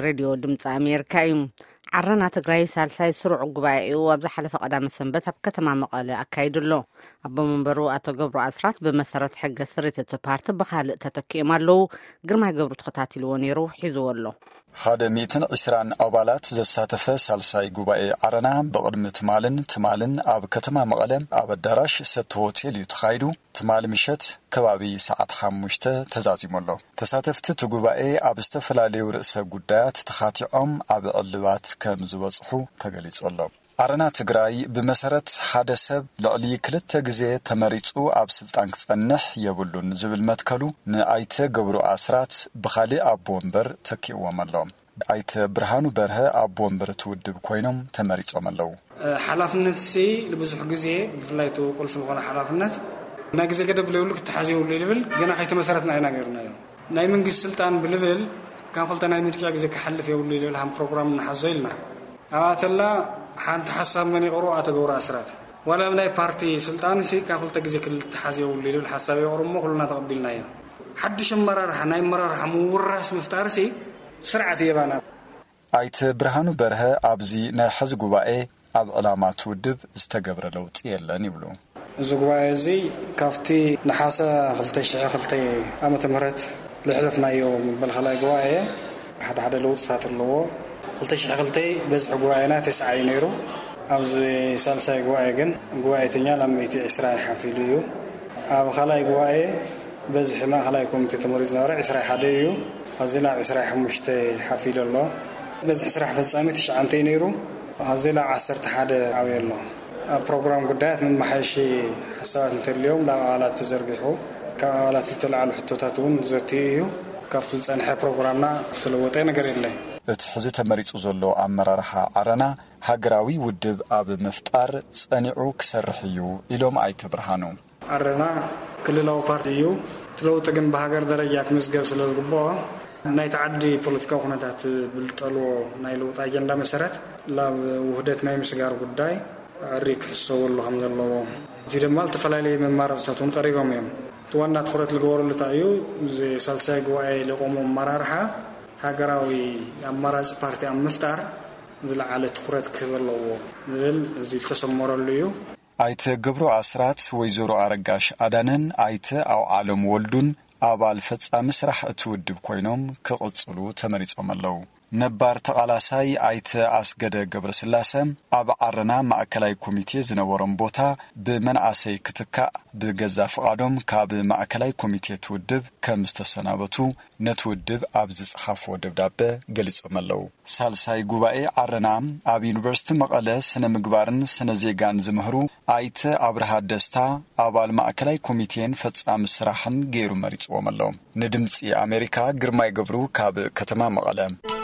ሬድዮ ድምፂ ኣሜሪካ እዩ። ዓረና ትግራይ ሳልሳይ ስሩዕ ጉባኤኡ ኣብ ዝሓለፈ ቀዳመ ሰንበት ኣብ ከተማ መቐለ ኣካይዱ ኣሎ። ኣቦ መንበሩ ኣቶ ገብሩ ኣስራት ብመሰረት ሕገ ስሪት እቲ ፓርቲ ብኻልእ ተተኪኦም ኣለዉ። ግርማይ ገብሩ ተኸታቲልዎ ነይሩ፣ ሒዝዎ ኣሎ። ሓደ ሚእትን ዕስራን ኣባላት ዘሳተፈ ሳልሳይ ጉባኤ ዓረና ብቕድሚ ትማልን ትማልን ኣብ ከተማ መቐለ ኣብ ኣዳራሽ ሰቲ ሆቴል እዩ ተኻይዱ። ትማሊ ምሸት ከባቢ ሰዓት ሓሙሽተ ተዛዚሙ ኣሎ። ተሳተፍቲ እቲ ጉባኤ ኣብ ዝተፈላለዩ ርእሰ ጉዳያት ተኻቲዖም ኣብ ዕልባት ከም ዝበጽሑ ተገሊጹ ኣሎ። ዓረና ትግራይ ብመሰረት ሓደ ሰብ ልዕሊ ክልተ ግዜ ተመሪጹ ኣብ ስልጣን ክጸንሕ የብሉን ዝብል መትከሉ ንኣይተ ገብሩ ኣስራት ብኻልእ ኣቦ ወንበር ተኪእዎም ኣሎ። ኣይተ ብርሃኑ በርሀ ኣቦ ወንበር እቲ ውድብ ኮይኖም ተመሪጾም ኣለዉ። ሓላፍነት ሲ ንብዙሕ ግዜ ብፍላይ እቲ ቁልፊ ዝኾነ ሓላፍነት ናይ ግዜ ገደብ ዘይብሉ ክተሓዝ የብሉ ይብል። ገና ከይተመሰረትና ኢና ገይርናዮ። ናይ መንግስቲ ስልጣን ብልብል ካብ ክልተ ናይ ምርጫ ግዜ ክሓልፍ የብሉ ይብል ሃም ፕሮግራም እናሓዞ ኢልና ኣብኣተላ ሓንቲ ሓሳብ መን ይቕርቦ ኣቶ ገብሩ ኣስራት ዋላ ናይ ፓርቲ ስልጣን ሲ ካብ ክልተ ግዜ ክልተሓዝ የብሉ ይብል ሓሳብ ይቕርብ እሞ ኩልና ተቐቢልናዮ። ሓድሽ ኣመራርሓ ናይ ኣመራርሓ ምውራስ ምፍጣር ሲ ስርዓት የባና። ኣይተ ብርሃኑ በርሀ ኣብዚ ናይ ሕዚ ጉባኤ ኣብ ዕላማ እቲ ውድብ ዝተገብረ ለውጢ የለን ይብሉ። እዚ ጉባኤ እዚ ካብቲ ነሓሰ ክልተ ሽሕ ክልተ ዓመተ ምህረት ልሕለፍናዮ መበል ካልኣይ ጉባኤ ሓደ ሓደ ለውጥታት ኣለዎ። ክልተ ሽሕ ክልተ በዝሒ ጉባኤና ተስዓ እዩ ነይሩ። ኣብዚ ሳልሳይ ጉባኤ ግን ጉባኤተኛ ናብ ሚእቲ ዕስራ ሓፊሉ እዩ። ኣብ ካልኣይ ጉባኤ በዝሒ ማእኸላይ ኮሚቴ ተመሪፁ ነበረ ዕስራ ሓደ እዩ። ሕዚ ናብ ዕስራ ሓሙሽተ ሓፊሉ ኣሎ። በዝሒ ስራሕ ፈፃሚ ትሽዓተ እዩ ነይሩ። ሕዚ ናብ ዓሰርተ ሓደ ዓብዩ ኣሎ። ኣብ ፕሮግራም ጉዳያት መመሓየሺ ሓሳባት እንተልዮም ናብ ኣባላት ተዘርጊሑ ካብ ኣባላት ዝተለዓሉ ሕቶታት እውን ዘትዩ እዩ። ካብቲ ዝፀንሐ ፕሮግራምና ዝተለወጠ ነገር የለን። እቲ ሕዚ ተመሪፁ ዘሎ ኣመራርሓ ዓረና ሃገራዊ ውድብ ኣብ ምፍጣር ፀኒዑ ክሰርሕ እዩ ኢሎም ኣይተ ብርሃኑ። ዓረና ክልላዊ ፓርቲ እዩ። እቲ ለውጢ ግን ብሃገር ደረጃ ክምዝገብ ስለ ዝግብኦ ናይቲ ዓዲ ፖለቲካዊ ኩነታት ብልጠልዎ ናይ ለውጢ ኣጀንዳ መሰረት ናብ ውህደት ናይ ምስጋር ጉዳይ ዕሪ ክሕሰበሉ ከም ዘለዎ እዚ ድማ ዝተፈላለየ መማረፅታት እውን ቀሪቦም እዮም። እቲ ዋና ትኩረት ዝገበረሉ እንታይ እዩ? እዚ ሳልሳይ ጉባኤ ለቆሙ ኣመራርሓ ሃገራዊ ኣማራፂ ፓርቲ ኣብ ምፍጣር ዝለዓለ ትኩረት ክህብ ኣለዎ ዝብል እዚ ዝተሰመረሉ እዩ። ኣይተ ገብሩ ኣስራት፣ ወይዘሮ ኣረጋሽ ኣዳነን ኣይተ ኣውዓሎም ወልዱን ኣባል ፈጻሚ ስራሕ እቲ ውድብ ኮይኖም ክቕጽሉ ተመሪጾም ኣለዉ። ነባር ተቓላሳይ ኣይተ ኣስገደ ገብረስላሰ ኣብ ዓረና ማእከላይ ኮሚቴ ዝነበሮም ቦታ ብመንኣሰይ ክትካእ ብገዛ ፍቓዶም ካብ ማእከላይ ኮሚቴ እቲ ውድብ ከም ዝተሰናበቱ ነቲ ውድብ ኣብ ዝጸሓፍዎ ደብዳበ ገሊጾም ኣለዉ። ሳልሳይ ጉባኤ ዓረና ኣብ ዩኒቨርሲቲ መቐለ ስነ ምግባርን ስነ ዜጋን ዝምህሩ ኣይተ ኣብርሃ ደስታ ኣባል ማእከላይ ኮሚቴን ፈጻሚ ስራሕን ገይሩ መሪጽዎም ኣሎ። ንድምጺ ኣሜሪካ ግርማይ ገብሩ ካብ ከተማ መቐለ።